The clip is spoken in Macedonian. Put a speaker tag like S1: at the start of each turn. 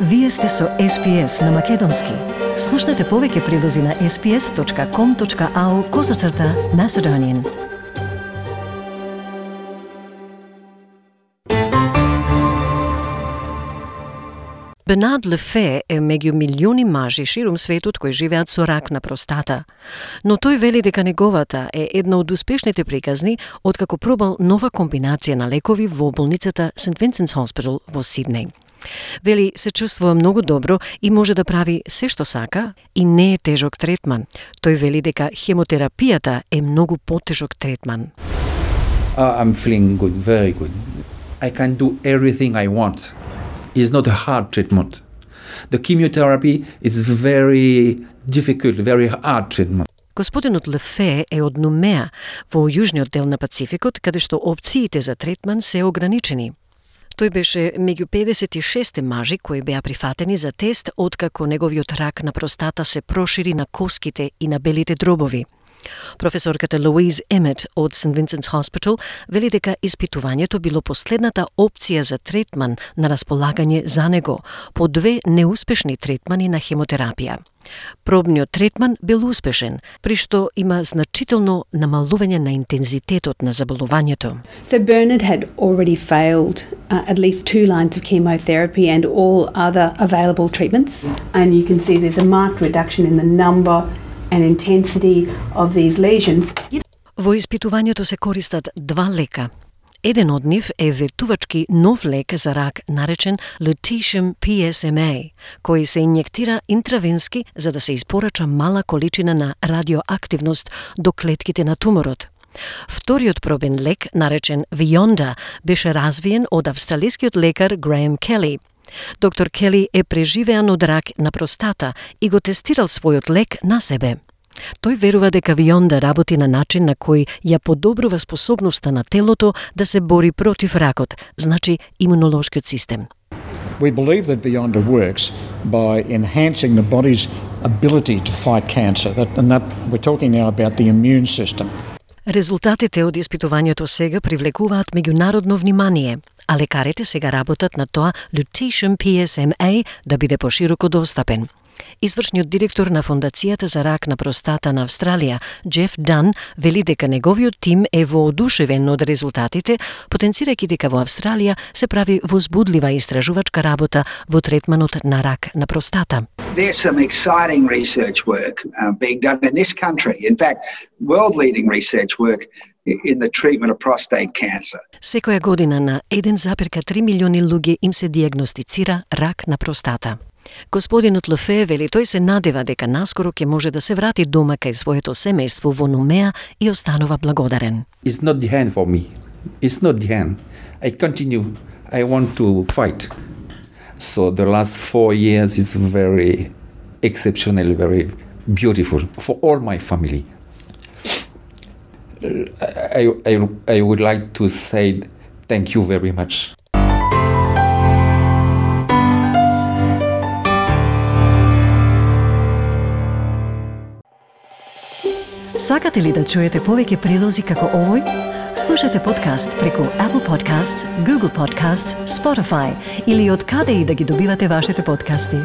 S1: Вие сте со SPS на Македонски. Слушнете повеќе прилози на sps.com.au/Macedonian. Bernard Lefebvre е меѓу милиони мажи ширум светот кои живеат со рак на простата. Но тој вели дека неговата е една од успешните приказни откако пробал нова комбинација на лекови во болницата St. Vincent's Hospital во Сиднеј. Вели се чувствува многу добро и може да прави се што сака и не е тежок третман. Тој вели дека хемотерапијата е многу потежок третман.
S2: I'm feeling good, very good. I can do everything I want. It's not a hard treatment. The chemotherapy is very difficult, very hard treatment.
S1: Господинот Лефе е од Нумеа, во јужниот дел на Пацификот, каде што опциите за третман се ограничени. Тој беше меѓу 56 мажи кои беа прифатени за тест откако неговиот рак на простата се прошири на коските и на белите дробови. Професорката Louise Emmett од St. Vincent's Hospital вели дека испитувањето било последната опција за третман на располагање за него по 2 неуспешни третмани на хемотерапија. Пробниот третман бил успешен, при што има значително намалување на интензитетот на заболувањето.
S3: So Bernard had already failed at least 2 lines of chemotherapy and all other available treatments. And you can see there's a marked reduction in the number and intensity of these lesions.
S1: Во испитувањето се користат 2 лека. Еден од нив е ветувачки нов лек за рак наречен Lutetium PSMA, кој се инјектира интравенски за да се испорача мала количина на радиоактивност до клетките на туморот. Вториот пробен лек, наречен Vionda, беше развиен од австралискиот лекар Graham Kelly. Доктор Кели е преживеан од рак на простата и го тестирал својот лек на себе. Тој верува дека Vionda работи на начин на кој ја подобрува способноста на телото да се бори против ракот, значи имунолошкиот систем.
S4: We believe that Vionda works by enhancing the body's ability to fight cancer. That we're talking now about the immune system.
S1: Резултатите од испитувањето сега привлекуваат меѓународно внимание, а лекарите сега работат на тоа Lutetium PSMA да биде пошироко достапен. Извршниот директор на Фондацијата за рак на простата на Австралија, Джеф Дан, вели дека неговиот тим е воодушевен од резултатите, потенцирајќи дека во Австралија се прави возбудлива истражувачка работа во третманот на рак на простата.
S5: There's some exciting research work being done in this country. In fact, world-leading research work in the treatment of prostate cancer.
S1: Секоја година на 1,3 милиони луѓе им се диагностицира рак на простата. Господинот Лефе вели тој се надева дека наскоро ќе може да се врати дома кај своето семејство во Нумеа и останува благодарен.
S2: It's not the end for me. It's not the end. I continue. I want to fight. So the last 4 years is very exceptional, very beautiful for all my family. I would like to say thank you very much.
S1: Сакате ли да чуете повеќе прилози како овој? Слушате подкаст преку Apple Podcasts, Google Podcasts, Spotify или од каде и да ги добивате вашите подкасти.